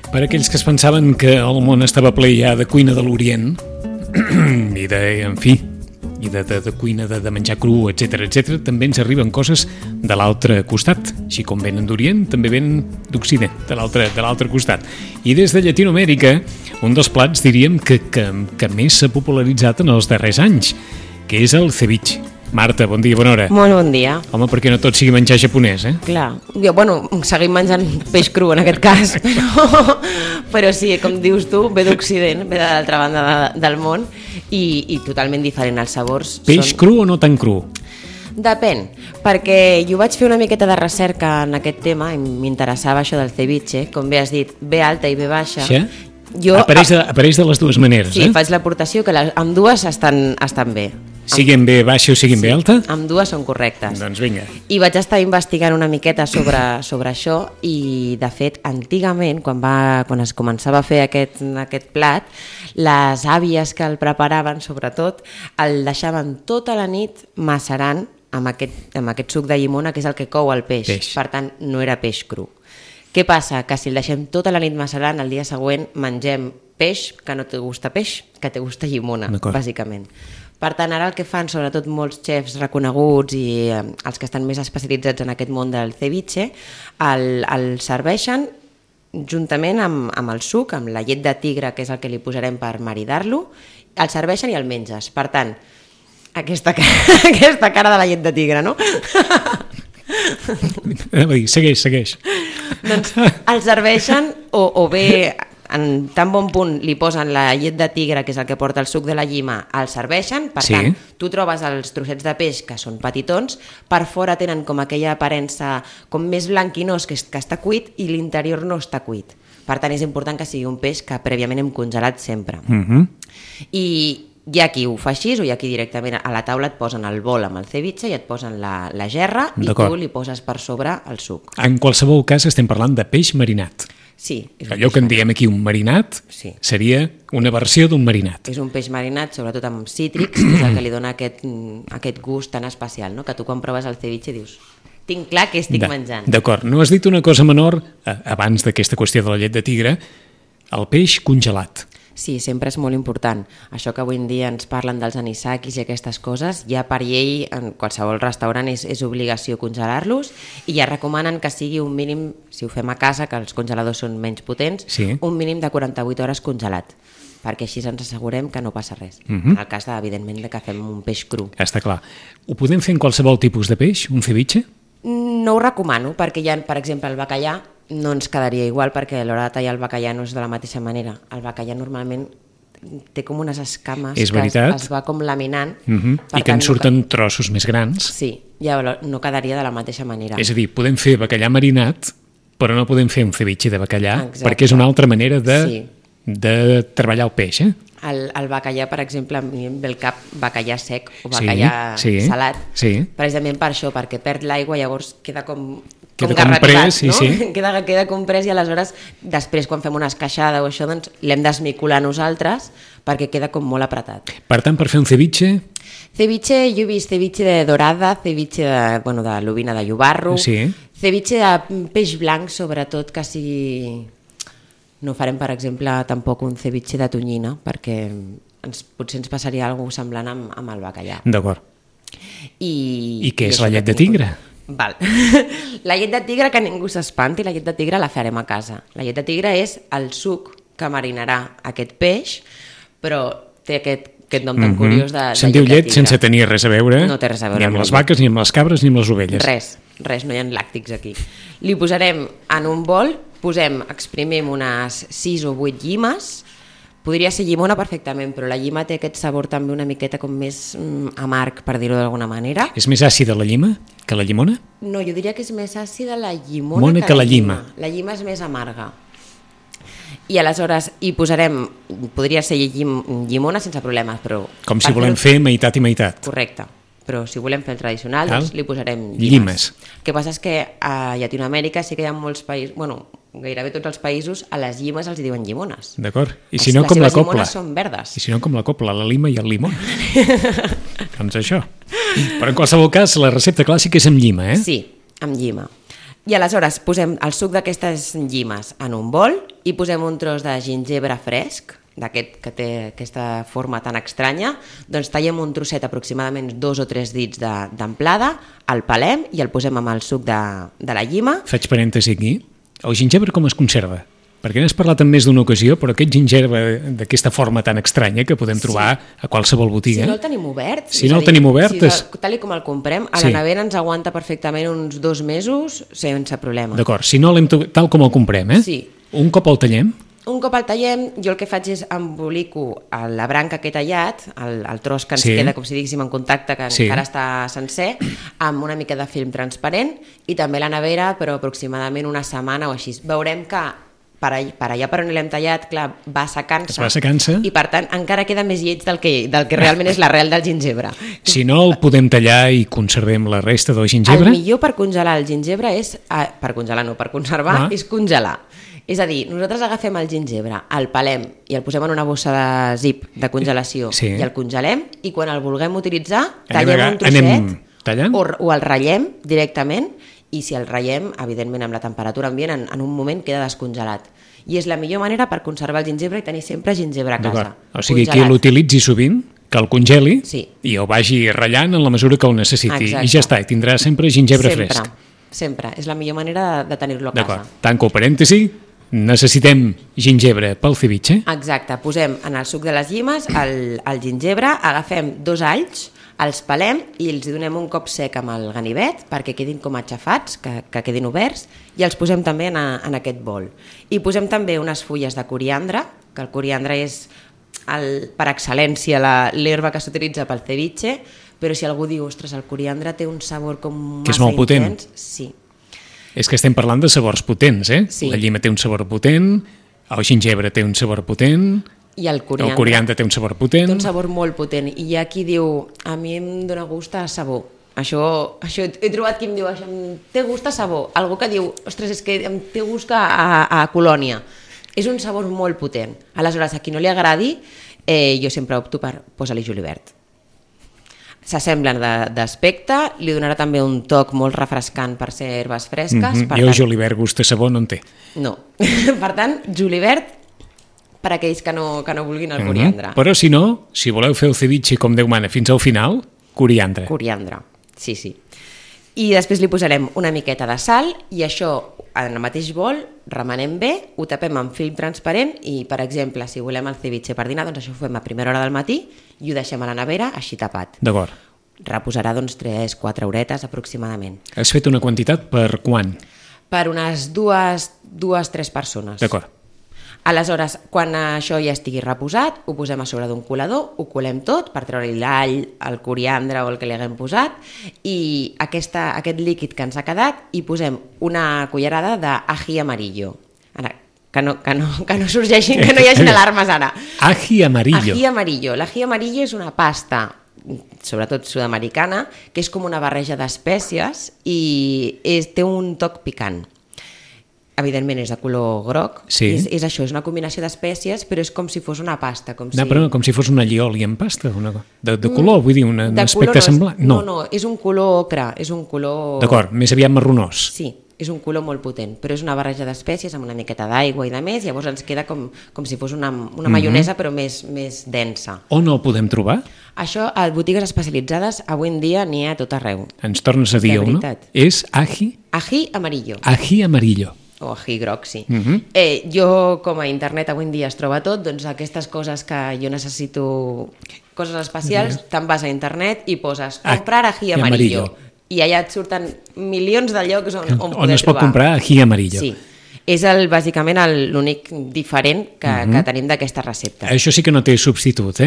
Per aquells que es pensaven que el món estava ple ja de cuina de l'Orient i de cuina de menjar cru, etc, també ens arriben coses de l'altre costat. Així com venen d'Orient, també venen d'Occident, de l'altre costat. I des de Llatinoamèrica, un dels plats, diríem, que més s'ha popularitzat en els darrers anys, que és el ceviche. Marta, bon dia, bona hora. Molt bon dia. Home, perquè no tot sigui menjar japonès, eh? Clar, seguim menjant peix cru en aquest cas, però sí, com dius tu, ve d'Occident, ve de l'altra banda del món i totalment diferent els sabors. Peix cru o no tan cru? Depèn, perquè jo vaig fer una miqueta de recerca en aquest tema i m'interessava això del ceviche, com bé has dit, ve alta i ve baixa. Sí? Apareix de les dues maneres, sí, faig l'aportació que amb dues estan bé. Siguin bé baixa o siguin bé alta? Amb dues són correctes. Doncs vinga. I vaig estar investigant una miqueta sobre això i, de fet, antigament, quan es començava a fer aquest plat, les àvies que el preparaven, sobretot, el deixaven tota la nit macerant amb aquest suc de llimona, que és el que cou el peix. Per tant, no era peix cru. Què passa? Que si el deixem tota la nit macerant, el dia següent mengem peix que no te gusta peix, que te gusta llimona, bàsicament. Per tant, ara el que fan, sobretot molts xefs reconeguts i els que estan més especialitzats en aquest món del ceviche, el serveixen juntament amb el suc, amb la llet de tigre, que és el que li posarem per maridar-lo, el serveixen i el menges. Per tant, aquesta cara de la llet de tigre, no? Segueix. Doncs el serveixen o bé en tan bon punt li posen la llet de tigre, que és el que porta el suc de la llima, el serveixen, per tant, tu trobes els trossets de peix que són petitons, per fora tenen com aquella aparença com més blanquinós que està cuit i l'interior no està cuit. Per tant, és important que sigui un peix que prèviament hem congelat sempre. I hi ha qui ho fa així o hi ha qui directament a la taula et posen el bol amb el ceviche i et posen la gerra i tu li poses per sobre el suc. En qualsevol cas estem parlant de peix marinat. Sí. Allò que en diem aquí un marinat seria una versió d'un marinat. És un peix marinat, sobretot amb cítrics, que és el que li dona aquest gust tan especial, no? Que tu quan proves el ceviche dius, tinc clar que estic menjant. D'acord, no has dit una cosa menor abans d'aquesta qüestió de la llet de tigre, el peix congelat. Sí, sempre és molt important. Això que avui en dia ens parlen dels anisakis i aquestes coses, ja per llei en qualsevol restaurant és obligació congelar-los i ja recomanen que sigui un mínim, si ho fem a casa, que els congeladors són menys potents, un mínim de 48 hores congelat, perquè així ens assegurem que no passa res. En el cas, evidentment, que fem un peix cru. Està clar. Ho podem fer en qualsevol tipus de peix, un ceviche? No ho recomano, perquè hi ha, per exemple, el bacallà, no ens quedaria igual perquè a l'hora de tallar el bacallà no és de la mateixa manera. El bacallà normalment té com unes escames que es va com laminant. I que en surten trossos més grans. Sí, llavors no quedaria de la mateixa manera. És a dir, podem fer bacallà marinat, però no podem fer un ceviche de bacallà, perquè és una altra manera de treballar el peix, eh? El bacallà, per exemple, a mi em ve el cap bacallà sec o bacallà salat, precisament per això, perquè perd l'aigua, llavors queda com garratibat, no? Queda comprès i aleshores després quan fem una esqueixada o això doncs l'hem d'esmicolar nosaltres perquè queda com molt apretat. Per tant, per fer un ceviche? Ceviche, jo he vist ceviche de dorada, ceviche de lubina de llobarro, ceviche de peix blanc sobretot, que sigui... No farem, per exemple, tampoc un ceviche de tonyina perquè potser ens passaria alguna cosa semblant amb el bacallà. D'acord. I què és la llet de tigre? Val. La llet de tigre, que ningú s'espanti, la llet de tigre la farem a casa. La llet de tigre és el suc que marinarà aquest peix, però té aquest nom tan curiós de se'n diu llet sense tenir res a veure, no té res a veure ni amb les vaques, ni amb les cabres, ni amb les ovelles. Res, no hi ha làctics aquí. Li posarem en un bol, exprimim unes 6 o 8 llimes. Podria ser llimona perfectament, però la llima té aquest sabor també una miqueta com més amarg, per dir-ho d'alguna manera. És més àcida la llima que la llimona? No, jo diria que és més àcida la llimona que la llima. La llima és més amarga. I aleshores hi posarem, podria ser llimona sense problemes, però... Com si volem fer meitat i meitat. Correcte, però si volem fer el tradicional, doncs li posarem llimes. El que passa és que a Llatinoamèrica sí que hi ha molts països, bueno, gairebé tots els països, a les llimes els diuen llimones. D'acord. I si no, com la copla. Les llimones són verdes. I si no, com la copla, la lima i el limó. Doncs això. Però en qualsevol cas, la recepta clàssica és amb llima, eh? Sí, amb llima. I aleshores posem el suc d'aquestes llimes en un bol i posem un tros de gingebre fresc, d'aquest que té aquesta forma tan estranya, doncs tallem un trosset aproximadament 2 o 3 dits d'amplada, el pelem i el posem amb el suc de la llima. Faig parèntesi aquí. El gingebre com es conserva? Perquè n'has parlat en més d'una ocasió, però aquest gingebre d'aquesta forma tan estranya que podem trobar a qualsevol botiga... Si no el tenim obert... Si no el tenim obert... Tal com el comprem, a la nevera ens aguanta perfectament uns 2 mesos sense problema. D'acord, si no l'hem tal com el comprem, Sí. Un cop el tallem... Un cop el tallem, jo el que faig és embolico la branca que he tallat, el tros que ens queda, com si diguéssim, en contacte, que encara està sencer, amb una mica de film transparent i també la nevera, però aproximadament una setmana o així. Veurem que per allà per on l'hem tallat, clar, va secant-se. I per tant encara queda més lleig del que realment és l'arrel del gingebre. Si no el podem tallar i conservem la resta del gingebre... El millor per congelar el gingebre és... Per conservar és congelar. És a dir, nosaltres agafem el gingebre, el pelem i el posem en una bossa de zip de congelació i el congelem, i quan el vulguem utilitzar tallem un trosset o el ratllem directament, i si el ratllem, evidentment amb la temperatura ambient, en un moment queda descongelat. I és la millor manera per conservar el gingebre i tenir sempre gingebre a casa. O sigui, qui l'utilitzi sovint, que el congeli i el vagi ratllant en la mesura que el necessiti. I ja està, i tindrà sempre gingebre fresc. Sempre, és la millor manera de tenir-lo a casa. D'acord, tanco parèntesi. Necessitem gingebre pel ceviche. Exacte, posem en el suc de les llimes el gingebre, agafem 2 alls, els pelem i els donem un cop sec amb el ganivet perquè quedin com aixafats, que quedin oberts, i els posem també en aquest bol. I posem també unes fulles de coriandre, que el coriandre és per excel·lència l'herba que s'utilitza pel ceviche, però si algú diu, ostres, el coriandre té un sabor com massa intens... Que és molt potent. Sí. És que estem parlant de sabors potents, Sí. La llima té un sabor potent, el gingebre té un sabor potent, i el coriandre té un sabor potent. Té un sabor molt potent. I hi ha qui diu, a mi em dóna gust a sabó. Això he trobat qui em diu, em té gust a sabó. Algú que diu, ostres, és que em té gust a colònia. És un sabor molt potent. Aleshores, a qui no li agradi, jo sempre opto per posar-li julivert. S'assemblen d'aspecte, li donarà també un toc molt refrescant per ser herbes fresques. Jo julivert gust de sabó no en té. No. Per tant, julivert per aquells que no vulguin el coriandre. Però si no, si voleu fer el ceviche com Déu mana fins al final, coriandre. Coriandre, sí. I després li posarem una miqueta de sal i això en el mateix bol remenem bé, ho tapem amb film transparent i, per exemple, si volem el ceviche per dinar, doncs això ho fem a primera hora del matí i ho deixem a la nevera així tapat. D'acord. Reposarà doncs 3-4 horetes aproximadament. Has fet una quantitat per quan? Per unes 2-3 persones. D'acord. Aleshores, quan això ja estigui reposat, ho posem a sobre d'un colador, ho colem tot per treure-hi l'all, el coriandre o el que li haguem posat, i aquest líquid que ens ha quedat hi posem una cullerada d'ají amarillo. Ara, que no sorgeixin, que no hi hagin alarmes ara. Ají amarillo. Ají amarillo. L'ají amarillo és una pasta, sobretot sud-americana, que és com una barreja d'espècies i té un toc picant. Evidentment és de color groc, és això, és una combinació d'espècies, però és com si fos una pasta. Com si fos un allioli en pasta, de color, vull dir, un aspecte semblant. No, és un color ocre, és un color... D'acord, més aviat marronós. Sí, és un color molt potent, però és una barreja d'espècies amb una miqueta d'aigua i de més, llavors ens queda com si fos una maionesa però més densa. On el podem trobar? Això a botigues especialitzades avui en dia n'hi ha a tot arreu. Ens tornes a dir un, no? És ají? Ají amarillo. Ají amarillo. O ají groc, sí. Jo, com a internet avui en dia es troba tot, doncs aquestes coses que jo necessito, coses especials, te'n vas a internet i poses comprar ají amarillo. I allà et surten milions de llocs on poder trobar. On es pot comprar ají amarillo. Sí. És bàsicament l'únic diferent que tenim d'aquesta recepta. Això sí que no té substitut,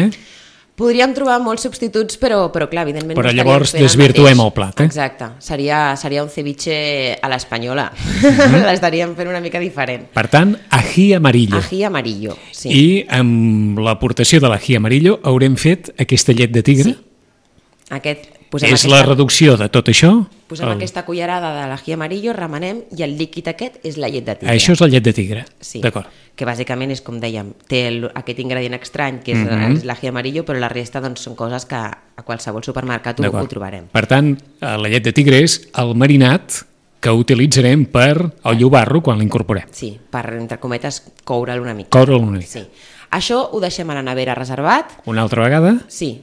Podríem trobar molts substituts, però clar, evidentment... Però llavors desvirtuem el plat, Exacte. Seria un ceviche a l'espanyola. L'estaríem fent una mica diferent. Per tant, ají amarillo. Ají amarillo, sí. I amb l'aportació de l'ají amarillo haurem fet aquesta llet de tigre? Sí. La reducció de tot això? Posem aquesta cullerada de l'ají amarillo, remenem, i el líquid aquest és la llet de tigre. Això és la llet de tigre? Sí. D'acord. Que bàsicament és, com dèiem, té aquest ingredient estrany, que és l'ají amarillo, però la resta doncs, són coses que a qualsevol supermercat ho trobarem. Per tant, la llet de tigre és el marinat que utilitzarem per el llobarro quan l'incorporem. Sí, per, entre cometes, coure'l una mica. Coure'l una mica. Sí. Això ho deixem a la nevera reservat. Una altra vegada? Sí.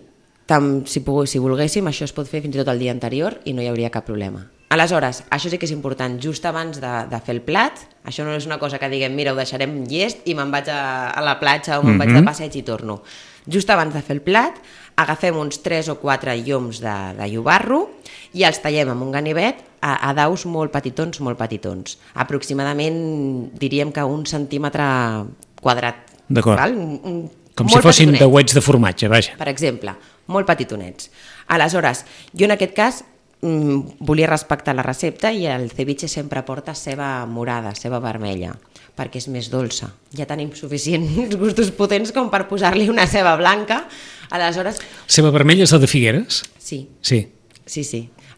Si volguéssim, això es pot fer fins i tot el dia anterior i no hi hauria cap problema. Aleshores, això sí que és important, just abans de fer el plat, això no és una cosa que diguem, mira, ho deixarem llest i me'n vaig a la platja o me'n vaig de passeig i torno. Just abans de fer el plat, agafem uns 3 o 4 lloms de llobarro i els tallem amb un ganivet a daus molt petitons. Aproximadament diríem que 1 centímetre quadrat. D'acord. Val? Com si fossin dauets de formatge, vaja. Per exemple, molt petitonets. Aleshores, jo en aquest cas volia respectar la recepta i el ceviche sempre porta ceba morada, ceba vermella, perquè és més dolça. Ja tenim suficients gustos potents com per posar-li una ceba blanca. Aleshores... Ceba vermella és la de Figueres? Sí. Sí.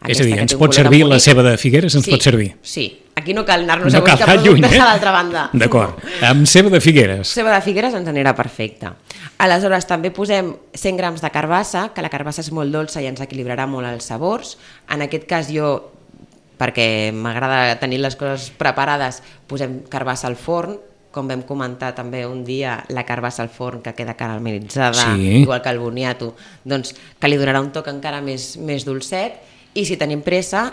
És a dir, ens pot servir la ceba de Figueres, ens pot servir? Sí. Aquí no cal anar-nos a buscar productes a l'altra banda. D'acord. Amb ceba de Figueres. Ceba de Figueres ens anirà perfecte. Aleshores, també posem 100 grams de carbassa, que la carbassa és molt dolça i ens equilibrarà molt els sabors. En aquest cas jo, perquè m'agrada tenir les coses preparades, posem carbassa al forn. Com vam comentar també un dia, la carbassa al forn que queda caramelitzada, igual que el boniato, doncs que li donarà un toc encara més dolcet. I si tenim pressa,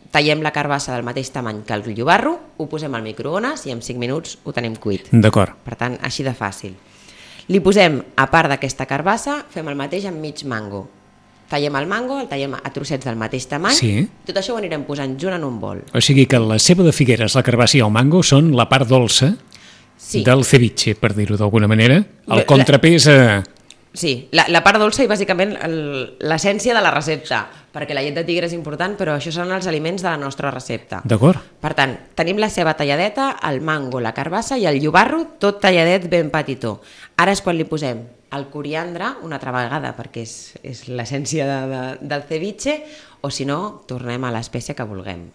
tallem la carbassa del mateix tamany que el llobarro, ho posem al microones i en 5 minuts ho tenim cuit. D'acord. Per tant, així de fàcil. Li posem, a part d'aquesta carbassa, fem el mateix amb mig mango. Tallem el mango, el tallem a trossets del mateix tamany, tot això ho anirem posant junt en un bol. O sigui que la ceba de Figueres, la carbassa i el mango són la part dolça del ceviche, per dir-ho d'alguna manera. El contrapès a... Sí, la part dolça i bàsicament l'essència de la recepta, perquè la llet de tigre és important, però això són els aliments de la nostra recepta. D'acord. Per tant, tenim la ceba talladeta, el mango, la carbassa i el llobarro, tot talladet ben petitó. Ara és quan li posem el coriandre, una altra vegada, perquè és l'essència del ceviche, o si no, tornem a l'espècie que vulguem,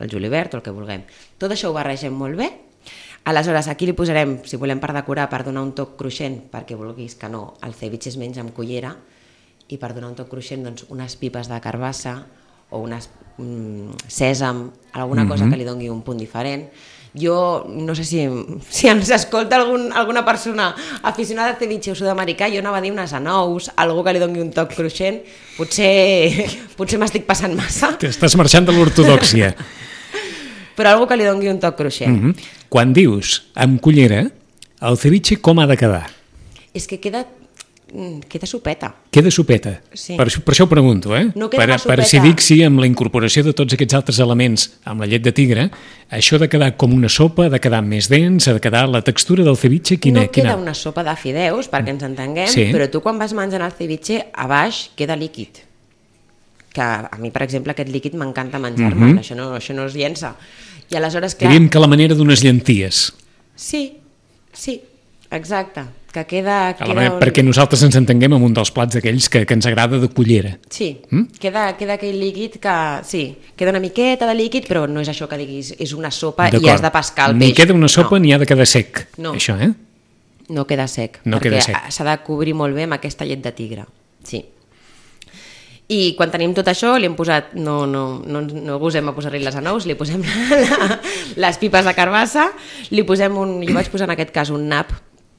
el julivert o el que vulguem. Tot això ho barregem molt bé. Aleshores, aquí li posarem, si volem per decorar, per donar un toc cruixent, perquè vulguis que no, el ceviche es menja amb cullera, i per donar un toc cruixent, doncs, unes pipes de carbassa o unes sèsam, alguna cosa que li doni un punt diferent. Jo no sé si ens escolta alguna persona aficionada al ceviche o sud-americà, jo anava a dir unes anous, algú que li doni un toc cruixent, potser m'estic passant massa. T'estàs marxant de l'ortodòxia. Però algú que li doni un toc cruixent. Quan dius amb cullera, el ceviche com ha de quedar? És que queda sopeta. Queda sopeta. Sí. Per això ho pregunto, No queda per si dic si amb la incorporació de tots aquests altres elements amb la llet de tigre, això ha de quedar com una sopa, ha de quedar més dens, ha de quedar la textura del ceviche, No queda una sopa de fideus, perquè ens entenguem, però tu quan vas menjant el ceviche, a baix queda líquid. Que a mi, per exemple, aquest líquid m'encanta menjar-me'l, això no es llença. I aleshores, clar... Diríem que la manera d'unes llenties. Sí, exacte. Que queda perquè nosaltres ens entenguem amb un dels plats d'aquells que ens agrada de cullera. Sí, queda aquell líquid que... Sí, queda una miqueta de líquid, però no és això que diguis, és una sopa i has de pescar el peix. Ni queda una sopa ni ha de quedar sec, això, No queda sec, perquè s'ha de cobrir molt bé amb aquesta llet de tigre. Sí. I quan tenim tot això, li hem posat, no gosem a posar-li les anous, li posem les pipes de carbassa, jo vaig posar en aquest cas un nap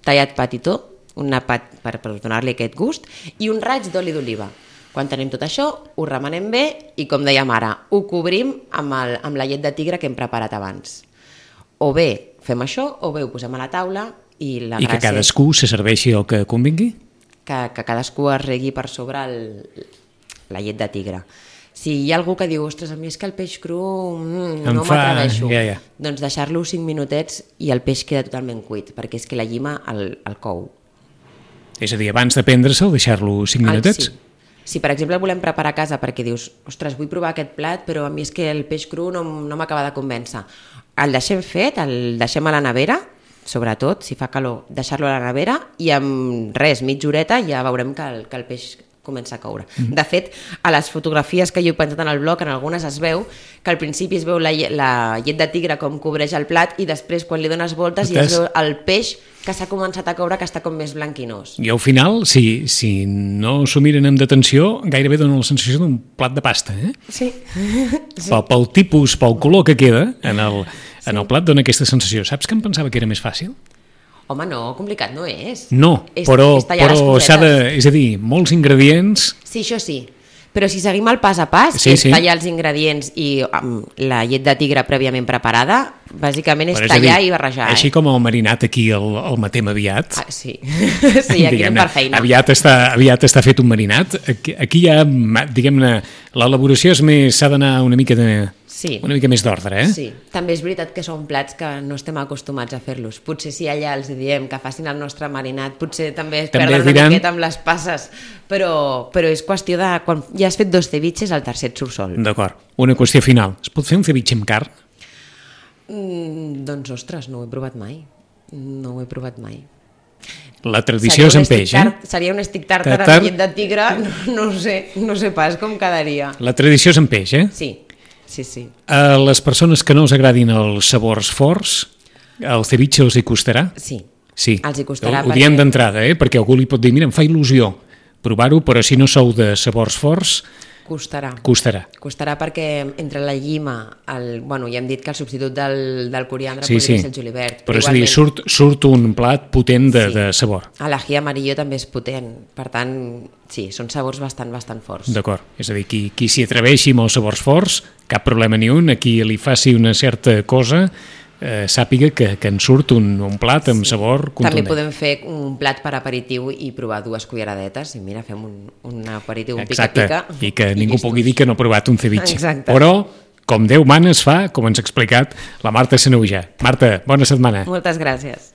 tallat petitó, un nap per donar-li aquest gust, i un raig d'oli d'oliva. Quan tenim tot això, ho remenem bé i, com dèiem ara, ho cobrim amb la llet de tigre que hem preparat abans. O bé fem això, o bé ho posem a la taula i la gràcia... I que cadascú se serveixi el que convingui? Que cadascú es regui per sobre la llet de tigre. Si hi ha algú que diu, ostres, a mi és que el peix cru no m'atreveixo, doncs deixar-lo 5 minutets i el peix queda totalment cuit, perquè és que la llima el cou. És a dir, abans de prendre-se'l, deixar-lo 5 minutets? Sí. Si, per exemple, el volem preparar a casa perquè dius, ostres, vull provar aquest plat, però a mi és que el peix cru no m'acaba de convèncer. El deixem fet, el deixem a la nevera, sobretot, si fa calor, deixar-lo a la nevera i amb mitja horeta ja veurem que el peix comença a coure. De fet, a les fotografies que jo he penjat en el blog, en algunes es veu que al principi es veu la llet de tigre com cobreix el plat i després quan li dones voltes i es veu el peix que s'ha començat a coure, que està com més blanquinós. I al final, si no s'ho miren amb detenció, gairebé dona la sensació d'un plat de pasta, eh? Sí. Pel tipus, pel color que queda en el plat dona aquesta sensació. Saps que em pensava que era més fàcil? Home, no, complicat no és. No, però s'ha de... És a dir, molts ingredients... Sí, això sí. Però si seguim el pas a pas, que és tallar els ingredients i la llet de tigre prèviament preparada, bàsicament és tallar i barrejar. Així com el marinat aquí el matem aviat. Sí, sí, aquí anem per feina. Aviat està fet un marinat. Aquí ja, diguem-ne, l'elaboració s'ha d'anar una mica més d'ordre, eh? Sí, també és veritat que són plats que no estem acostumats a fer-los. Potser si allà els diem que facin el nostre marinat, potser també es perden una miqueta amb les passes, però és qüestió de... Quan ja has fet 2 ceviches, el tercer et surt sol. D'acord. Una qüestió final. Es pot fer un ceviche amb carn? Doncs, ostres, no ho he provat mai. No ho he provat mai. La tradició és amb peix, eh? Seria un stick tàrtar amb llet de tigre, no sé pas com quedaria. La tradició és amb peix, eh? Sí. A les persones que no els agradin els sabors forts, el ceviche els hi costarà? Sí, els hi costarà. Ho diem d'entrada, perquè algú li pot dir, mira, em fa il·lusió provar-ho, però si no sou de sabors forts... Costarà perquè entre la llima, ja hem dit que el substitut del coriandre podria ser el julivert. Però és a dir, surt un plat potent de sabor. L'ají amarillo també és potent, per tant, sí, són sabors bastant forts. D'acord, és a dir, qui s'hi atreveixi amb els sabors forts, cap problema ni un, a qui li faci una certa cosa... sàpiga que en surt un plat amb sabor contundent. També podem fer un plat per aperitiu i provar 2 culleradetes i mira, fem un aperitiu, un pica-pica. I que ningú pugui dir que no ha provat un ceviche. Exacte. Però, com Déu mana, es fa, com ens ha explicat la Marta Sanaüja. Marta, bona setmana. Moltes gràcies.